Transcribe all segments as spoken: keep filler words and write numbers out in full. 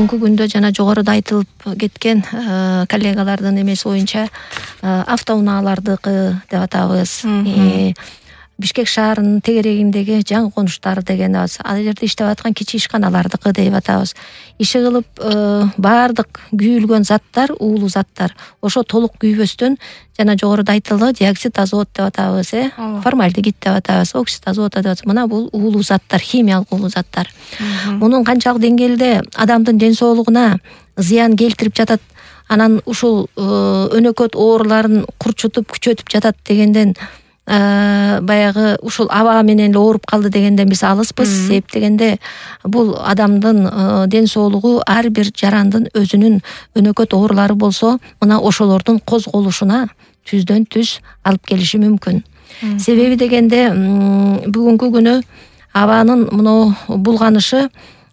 бүгүнкү күндө жана жогоруда айтылып кеткен коллегалардын эмеси боюнча автоунаалардыкы деп атабыз. Бишкек шаарынын тегерегиндеги жаңы конуштар деген ал жерде иштеп аткан кичи ишканалардыкы деп атабыз. Иши кылып баардык күйүлгөн заттар, уулуу заттар ошо толук күйбөстөн жана жогоруда айтылды диоксид азот деп атабыз, э формальдегид деп атабыз, оксид азота деп атабыз. Мына бул уулуу заттар, химиялык уулуу заттар. Мунун канчалык деңгээлде адамдын ден соолугуна зыян келтирип жатат, анан ушул өнөкөт ооруларын курчутуп күчөтүп жатат дегенден баягы ушул аба менен эле ооруп калды дегенден биз алыспыз. Себеп дегенде бул адамдын ден соолугу ар бир жарандын өзүнүн өнөкөт оорулары болсо, мына ошолордун козголушуна түздөн түз алып келиши мүмкүн. Себеби дегенде бүгүнкү күнү абанын мына булганышы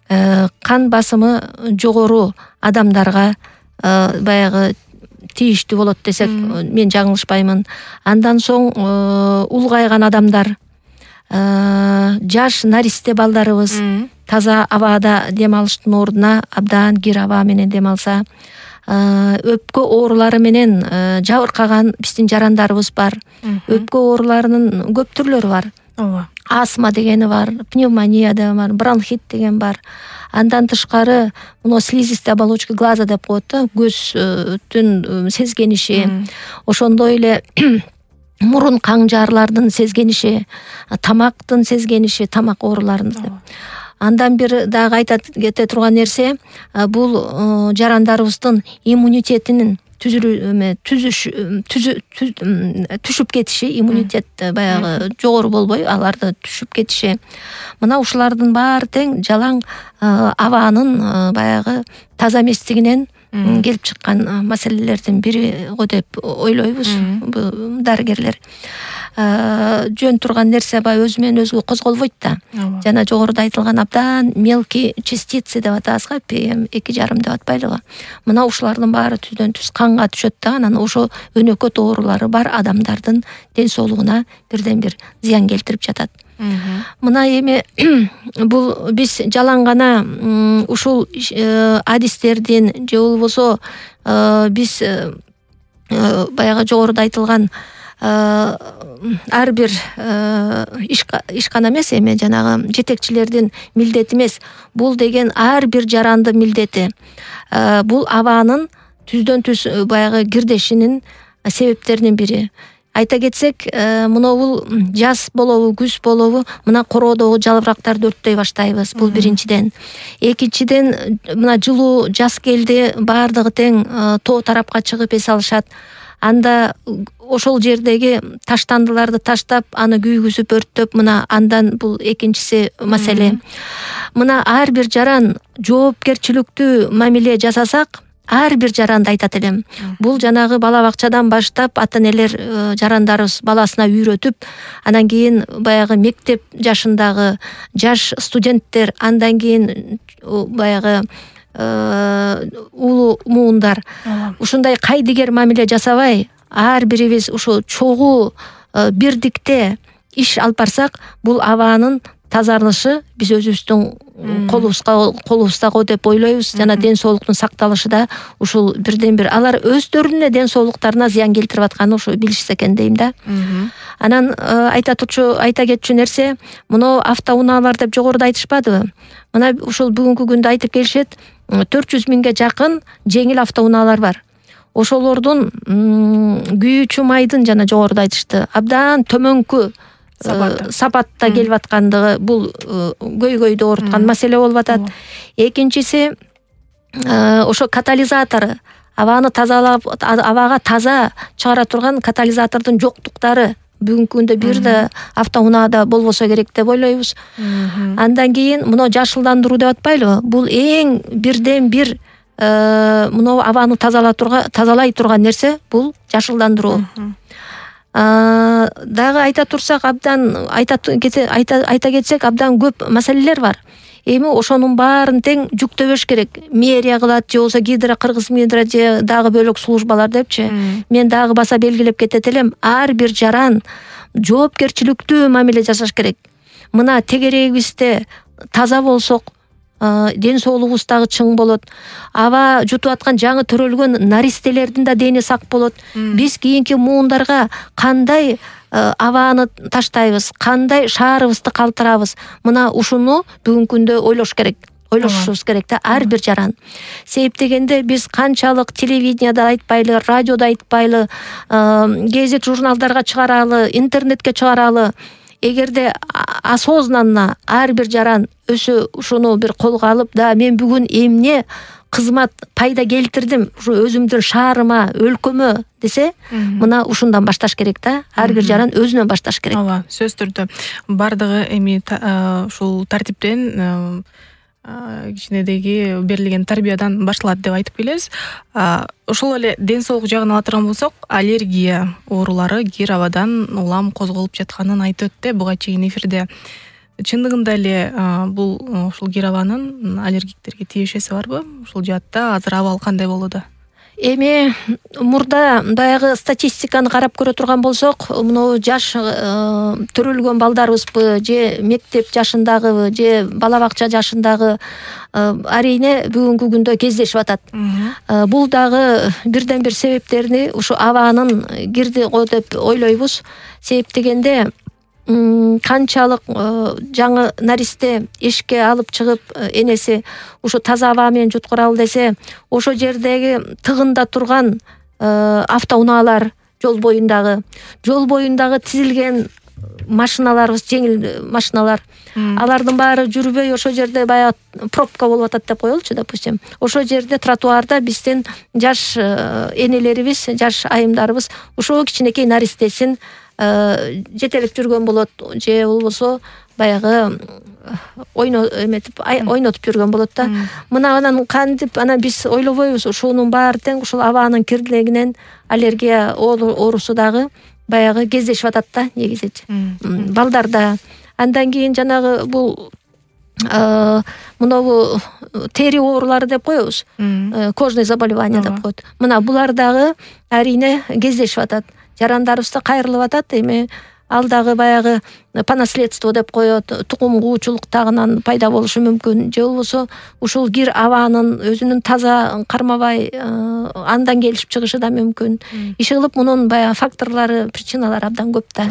кан басымы жогору адамдарга баягы тийиштүү болот десек мен жаңылышпаймын. Андан соң улгайган адамдар, жаш наристе балдарыбыз таза абада дем алыштын ордуна абдан кир аба менен дем алса, өпкө оорулары менен жабыркаган биздин жарандарыбыз бар. Өпкө ооруларынын көп түрлөрү бар. Астма дегени бар, пневмония деген бар, бронхит деген бар. Андан тышкары мына слизистая оболочка глаза деп коет да, көздүн сезгениши, ошондой эле мурун каңжаарлардын сезгениши, тамактын сезгениши, тамак ооруларын деп. Андан бир дагы айта кете турган нерсе, бул жарандарыбыздын иммунитетинин түшүп кетиши, иммунитет баягы жогору болбой аларды түшүп кетиши. Мына ушулардын баары тең жалаң абанын баягы таза эместигинен келип чыккан маселелердин бири го деп ойлойбуз дарыгерлер. Жөн турган нерсе баягы өзү менен өзү козголбойт да. Жана жогоруда айтылган абдан мелкий частицы деп атабыз го, пи эм эки жарым деп атпайлыбы. Мына ушулардын баары түздөн түз канга түшөт да, анан ошо өнөкөт оорулары бар адамдардын ден соолугуна бирден бир зыян келтирип жатат. Мына эми бул биз жалаң гана ушул адистердин же болбосо биз баягы жогоруда айтылган ар бир ишкана эмес, эми жанагы жетекчилердин милдети эмес. Бул деген ар бир жарандын милдети. Бул абанын түздөн түз баягы кирдешинин себептеринин бири. Айта кетсек, мына бул жаз болобу, күз болобу, мына короодогу жалбырактарды өрттөй баштайбыз. Бул биринчиден. Экинчиден, мына жылуу жаз келди, баардыгы тең тоо тарапка чыгып эс алышат. Анда ошол жердеги таштандыларды таштап, аны күйгүзүп өрттөп, мына андан бул экинчиси маселе. Мына ар бир жаран жоопкерчиликтүү мамиле жасасак, ар бир жаранды айтат элем. Бул жанагы бала бакчадан баштап ата энелер жарандарыбыз баласына үйрөтүп, анан кийин баягы мектеп жашындагы жаш студенттер, андан кийин баягы улуу муундар ушундай кайдыгер мамиле жасабай, ар бирибиз ушу чогуу бирдикте иш алып барсак, бул абанын тазарышы биз өзүбүздүн колубузга колубузда го деп ойлойбуз. Жана ден соолуктун сакталышы да ушул бирден бир алар өздөрүнүн ден соолуктарына зыян келтирип атканын ушу билишсе экен дейм да. Анан айта турчу айта кетчү нерсе, мына автоунаалар деп жогоруда айтышпадыбы? Мына ушул бүгүнкү күндө айтып келишет, төрт жүз миңге жакын жеңил автоунаалар бар. Ошолордун күйүүчү майдын жана жогоруда айтышты, абдан төмөнкү сапатта келип аткандыгы, бул көйгөйдү ооруткан маселе болуп атат. Экинчиси, ошо катализатору, абаны тазалап, абага таза чыгара турган катализатордун жоктуктары бүгүнкү күндө бир да автоунаада болбосо керек деп ойлойбуз. Андан кийин мына жашылдандыруу деп атпайлыбы? Бул эң бирден бир мына абаны тазалай турган нерсе, бул жашылдандыруу. Дагы айта турсак, абдан айта айта кетсек, абдан көп маселелер бар. Эми ошонун баарын тең жүктөбөш керек. Мэрия кылат, же болбосо Гидро, Кыргыз Гидро же дагы бөлөк службалар депчи. Мен дагы баса белгилеп кетет элем, ар бир жаран жоопкерчиликтүү мамиле жасаш керек. Мына тегерегибизде таза болсок, ден соолугубуз дагы чың болот. Аба жутуп аткан жаңы төрөлгөн наристелердин да дени сак болот. Биз кийинки муундарга кандай абаны таштайбыз, кандай шаарыбызды калтырабыз, мына ушуну бүгүнкү күндө ойлош керек. Ойлошубуз керек да, ар бир жаран. Себеп дегенде биз канчалык телевиденияда айтпайлы, радиода айтпайлы, гезит журналдарга чыгаралы, интернетке чыгаралы, эгерде осознанно ар бир жаран өзү ушуну бир колго алып, да мен бүгүн эмне кызмат пайда келтирдим ушу өзүмдүн шаарыма, өлкөмө десе, мына ушундан башташ керек да. Ар бир жаран өзүнөн башташ керек. Ооба, сөзсүз түрдө. Бардыгы эми ушул тартиптен кичинедеги берилген тарбиядан башталат деп айтып келебиз. Ошол эле ден соолук жагын ала турган болсок, аллергия оорулары кир абадан улам козголуп жатканын айтып өттү буга чейин эфирде. Чындыгында эле бул ушул кир абанын аллергиктерге тиешеси барбы? Ушул жаатта азыр абал кандай болууда? Эми мурда баягы статистиканы карап көрө турган болсок, мына жаш төрөлгөн балдарыбызбы же мектеп жашындагыбы же бала бакча жашындагы арине бүгүнкү күндө кездешип атат. Бул дагы бирден бир себептерини ушу абанын кирди го деп ойлойбуз. Себеп дегенде канчалык жаңы наристе эшикке алып чыгып энеси ушу таза аба менен жуткуралы десе, ошо жердеги тыгында турган автоунаалар, жол боюндагы жол боюндагы тизилген машиналарыбыз, жеңил машиналар, алардын баары жүрбөй ошо жерде баягы пробка болуп атат деп коелучу, допустим. Ошо жерде тротуарда биздин жаш энелерибиз, жаш айымдарыбыз ушул кичинекей наристесин жетелеп жүргөн болот, же болбосо баягы ойно эметип ойнотуп жүргөн болот да. Мына анан кантип анан биз ойлобойбуз, ушунун баары тең ушул абанын кирдилигинен аллергия оорусу дагы баягы кездешип атат да негизичи. Балдарда. Андан кийин жанагы бул мынабу тери оорулары деп коебуз. Кожный заболевания деп коет. Мына булар дагы арине кездешип атат. Жарандарыбызда кайрылып атат. Эми ал дагы баягы по наследству деп коет, тукум куучулуктагынан пайда болушу мүмкүн. Же болбосо ушул кир абанын өзүнүн таза кармабай андан келип чыгышы да мүмкүн. Иши кылып мунун баягы факторлору, причиналары абдан көп да.